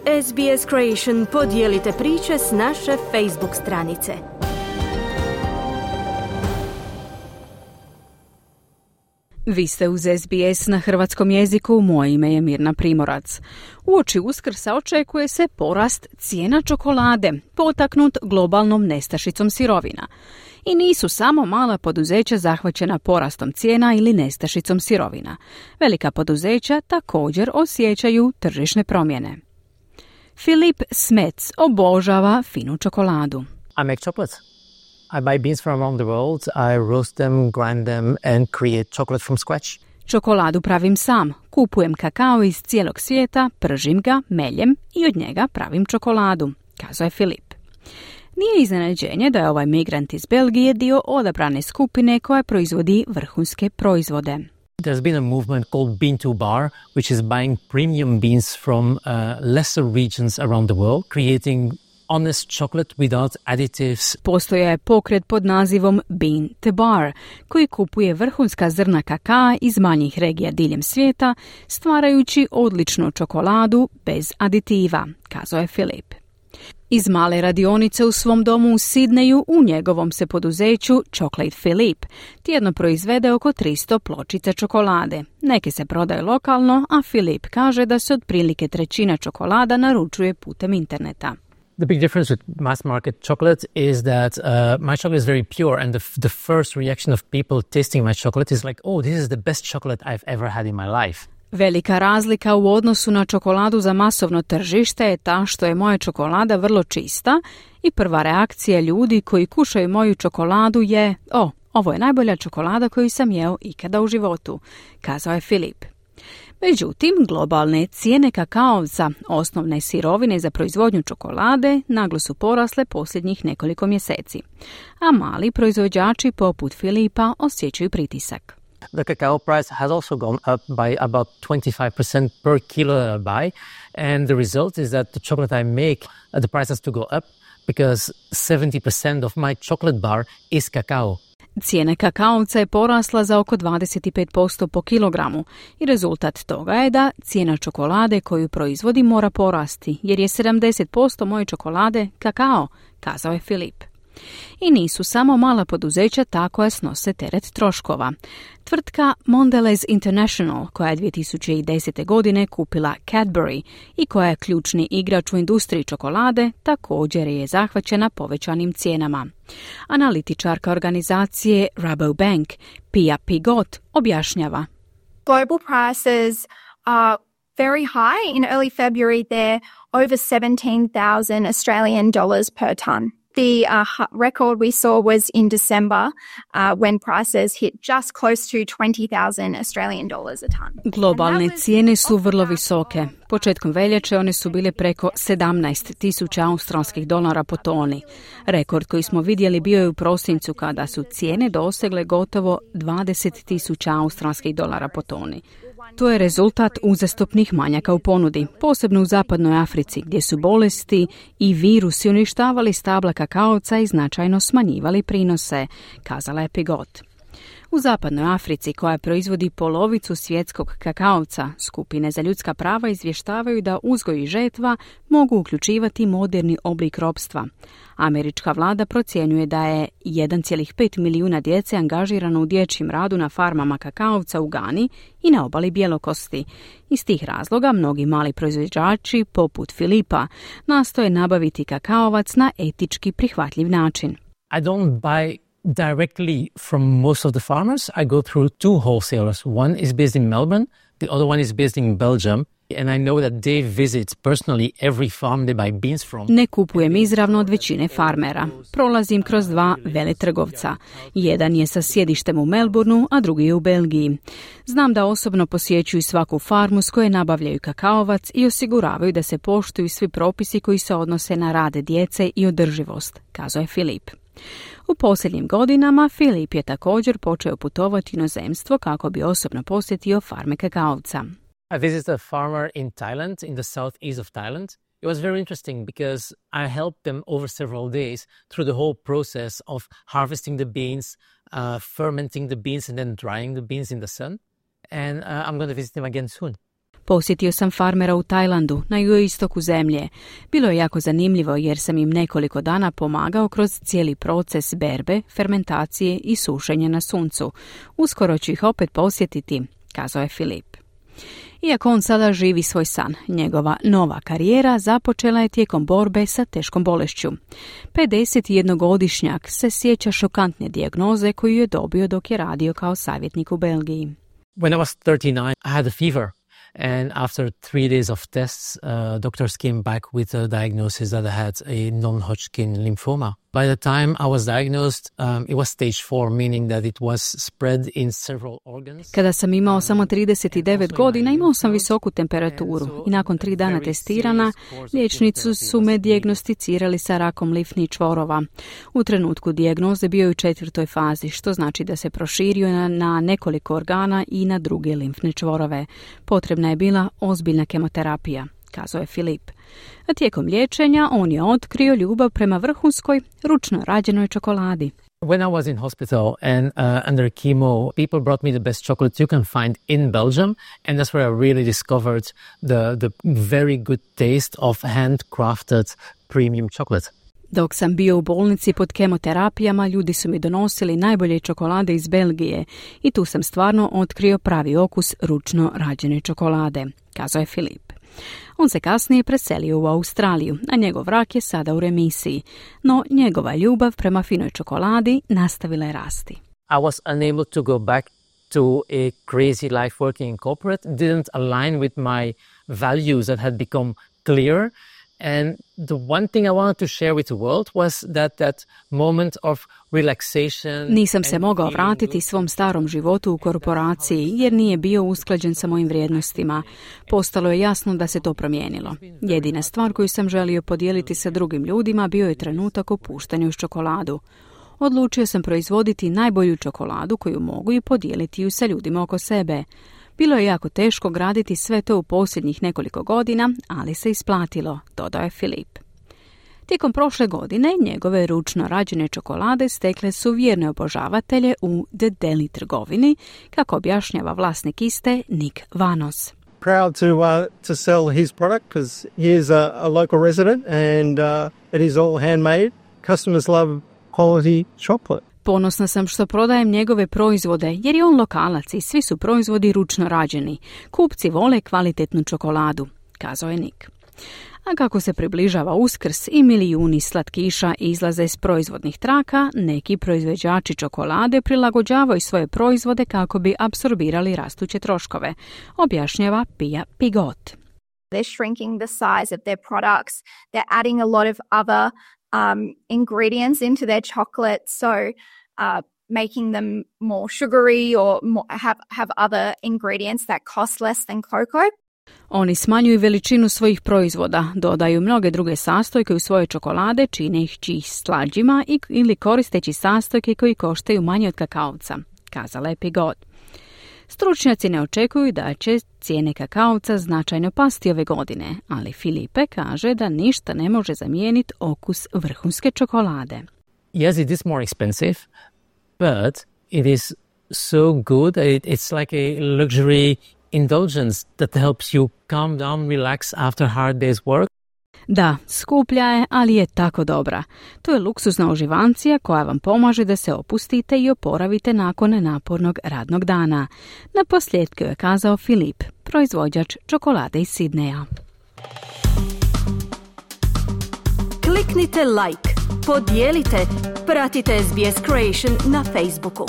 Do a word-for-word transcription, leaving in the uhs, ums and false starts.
S B S Creation podijelite priče s naše Facebook stranice. Vi ste uz S B S na hrvatskom jeziku, moje ime je Mirna Primorac. Uoči Uskrsa očekuje se porast cijena čokolade, potaknut globalnom nestašicom sirovina. I nisu samo mala poduzeća zahvaćena porastom cijena ili nestašicom sirovina. Velika poduzeća također osjećaju tržišne promjene. Filip Smets obožava finu čokoladu. I make chocolates. I buy beans from around the world, I roast them, grind them and create chocolate from scratch. Čokoladu pravim sam. Kupujem kakao iz cijelog svijeta, pržim ga, meljem i od njega pravim čokoladu, kazao je Filip. Nije iznenađenje da je ovaj migrant iz Belgije dio odabrane skupine koja proizvodi vrhunske proizvode. There's been a movement called Bean to Bar, which is buying premium beans from uh, lesser regions around the world, creating honest chocolate without additives. Postoje je pokret pod nazivom Bean to Bar, koji kupuje vrhunska zrna kakaa iz manjih regija diljem svijeta, stvarajući odličnu čokoladu bez aditiva, kazao je Filip. Iz male radionice u svom domu u Sidneju u njegovom se poduzeću Chocolate Philip tjedno proizvede oko tristo pločica čokolade. Neke se prodaju lokalno, a Filip kaže da se otprilike trećina čokolada naručuje putem interneta. The big difference with mass market chocolate is that uh, my chocolate is very pure, and the, f- the first reaction of people tasting my chocolate is like, oh, this is the best chocolate I've ever had in my life. Velika razlika u odnosu na čokoladu za masovno tržište je ta što je moja čokolada vrlo čista i prva reakcija ljudi koji kušaju moju čokoladu je, o, ovo je najbolja čokolada koju sam jeo ikada u životu, kazao je Filip. Međutim, globalne cijene kakaovca, osnovne sirovine za proizvodnju čokolade, naglo su porasle posljednjih nekoliko mjeseci, a mali proizvođači poput Filipa osjećaju pritisak. The cacao price has also gone up by about twenty-five percent per kilo that I buy, and the result is that the chocolate I make, uh, the price has to go up because seventy percent of my chocolate bar is cacao. Cijena kakaovca je porasla za oko dvadeset pet posto po kilogramu i rezultat toga je da cijena čokolade koju proizvodi mora porasti, jer je sedamdeset posto moje čokolade kakao, kazao je Filip. I nisu samo mala poduzeća ta koja snose teret troškova. Tvrtka Mondelez International, koja je dvije tisuće desete. godine kupila Cadbury i koja je ključni igrač u industriji čokolade, također je zahvaćena povećanim cijenama. Analitičarka organizacije Rabobank, Pia Pigot, objašnjava. Global prices are very high. In early February, they're over seventeen thousand Australian dollars per ton. The uh, record we saw was in December uh, when prices hit just close to twenty thousand Australian dollars a ton. Globalne cijene su vrlo visoke. Početkom veljače one su bile preko sedamnaest tisuća australskih dolara po toni. Rekord koji smo vidjeli bio je u prosincu kada su cijene dosegle gotovo dvadeset tisuća australskih dolara po toni. To je rezultat uzastopnih manjaka u ponudi, posebno u zapadnoj Africi, gdje su bolesti i virusi uništavali stabla kakaovca i značajno smanjivali prinose, kazala je Pigot. U zapadnoj Africi, koja proizvodi polovicu svjetskog kakaovca, skupine za ljudska prava izvještavaju da uzgoj i žetva mogu uključivati moderni oblik ropstva. Američka vlada procjenjuje da je jedan zarez pet milijuna djece angažirano u dječjem radu na farmama kakaovca u Gani i na obali Bjelokosti. Iz tih razloga mnogi mali proizvođači, poput Filipa, nastoje nabaviti kakaovac na etički prihvatljiv način. I don't buy directly from most of the farmers. I go through two wholesalers. One is based in Melbourne, the other one is based in Belgium. And I know that they visit personally every farm they buy beans from. Ne kupujem izravno od većine farmera. Prolazim kroz dva veletrgovca. Jedan je sa sjedištem u Melbourneu, a drugi je u Belgiji. Znam da osobno posjećuju svaku farmu s koje nabavljaju kakaovac i osiguravaju da se poštuju svi propisi koji se odnose na rad djece i održivost, kazao je Filip. U posljednjim godinama Filip je također počeo putovati u inozemstvo kako bi osobno posjetio farme kakaovca. I visited a farmer in Thailand, in the southeast of Thailand. It was very interesting because I helped them over several days through the whole process of harvesting the beans, uh, fermenting the beans and then drying the beans in the sun. And uh, I'm going to visit them again soon. Posjetio sam farmera u Tajlandu, na jugoistoku zemlje. Bilo je jako zanimljivo jer sam im nekoliko dana pomagao kroz cijeli proces berbe, fermentacije i sušenja na suncu. Uskoro ću ih opet posjetiti, kazao je Filip. Iako on sada živi svoj san, njegova nova karijera započela je tijekom borbe sa teškom bolešću. pedesetjednogodišnjak se sjeća šokantne dijagnoze koju je dobio dok je radio kao savjetnik u Belgiji. When I was thirty-nine, I had a fever. And after three days of tests, uh, doctors came back with a diagnosis that I had a non-Hodgkin lymphoma. By the time I was diagnosed, um, it was stage four, meaning that it was spread in several organs. Kada sam imao samo trideset devet godina, imao sam visoku temperaturu i nakon tri dana testirana, liječnici su me dijagnosticirali sa rakom limfnih čvorova. U trenutku dijagnoze bio je u četvrtoj fazi, što znači da se proširio na, na nekoliko organa i na druge limfne čvorove. Potrebna je bila ozbiljna kemoterapija, kazao je Filip. A tijekom liječenja on je otkrio ljubav prema vrhunskoj, ručno rađenoj čokoladi. When I was in hospital and uh, under chemo, people brought me the best chocolate you can find in Belgium, and that's where I really discovered the, the very good taste of handcrafted premium chocolate. Dok sam bio u bolnici pod kemoterapijama, ljudi su mi donosili najbolje čokolade iz Belgije i tu sam stvarno otkrio pravi okus ručno rađene čokolade, kazao je Filip. On se kasnije preselio u Australiju, a njegov rak je sada u remisiji, no njegova ljubav prema finoj čokoladi nastavila je rasti. I was unable to go back to a crazy life working in corporate, didn't align with my values that had become clear. And the one thing I wanted to share with the world was that that moment of relaxation. Nisam se mogao vratiti svom starom životu u korporaciji jer nije bio usklađen sa mojim vrijednostima. Postalo je jasno da se to promijenilo. Jedina stvar koju sam želio podijeliti sa drugim ljudima bio je trenutak opuštanja uz čokoladu. Odlučio sam proizvoditi najbolju čokoladu koju mogu i podijeliti ju sa ljudima oko sebe. Bilo je jako teško graditi sve to u posljednjih nekoliko godina, ali se isplatilo, dodao je Filip. Tijekom prošle godine njegove ručno rađene čokolade stekle su vjerne obožavatelje u The Deli trgovini, kako objašnjava vlasnik iste Nick Vanos. Proud to uh, to sell his product because he is a, a local resident and uh, it is all handmade. Customers love quality chocolate. Ponosna sam što prodajem njegove proizvode jer je on lokalac i svi su proizvodi ručno rađeni. Kupci vole kvalitetnu čokoladu, kazao je Nick. A kako se približava Uskrs i milijuni slatkiša izlaze iz proizvodnih traka, neki proizvođači čokolade prilagođavaju svoje proizvode kako bi apsorbirali rastuće troškove, objašnjava Pia Pigot. They're shrinking the size of their products. They're adding a lot of other um, ingredients into their chocolate, so uh, making them more sugary or more, have, have other ingredients that cost less than cocoa. Oni smanjuju veličinu svojih proizvoda, dodaju mnoge druge sastojke u svoje čokolade, čineći ih slađima i, ili koristeći sastojke koji koštaju manje od kakaovca, kazala je Pigot. Stručnjaci ne očekuju da će cijene kakaovca značajno pasti ove godine, ali Filipe kaže da ništa ne može zamijeniti okus vrhunske čokolade. Yes, it is more expensive, but it is so good. It, it's like a luxury indulgence that helps you calm down, relax after hard day's work. Da, skuplja je, ali je tako dobra. To je luksuzna uživancija koja vam pomaže da se opustite i oporavite nakon napornog radnog dana. Na posljedku je kazao Filip, proizvođač čokolade iz Sidneja. Kliknite like, podijelite, pratite S B S Creation na Facebooku.